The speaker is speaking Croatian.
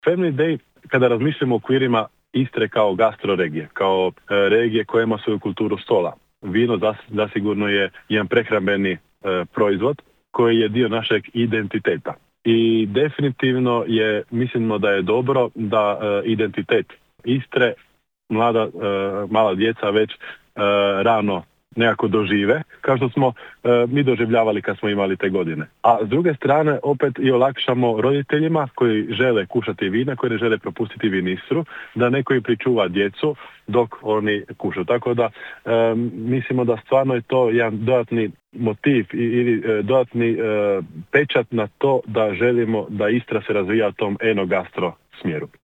Family Day, kada razmišljamo o okvirima Istre kao gastroregije, kao regije koja ima svoju kulturu stola, vino zasigurno je jedan prehrambeni proizvod koji je dio našeg identiteta. I definitivno mislimo da je dobro da identitet Istre mala djeca već rano nekako dožive, kao što smo mi doživljavali kad smo imali te godine. A s druge strane opet i olakšamo roditeljima koji žele kušati vina, koji ne žele propustiti vinistru, da neko i pričuva djecu dok oni kušaju. Tako da mislimo da stvarno je to jedan dodatni motiv ili dodatni pečat na to da želimo da Istra se razvija u tom enogastro smjeru.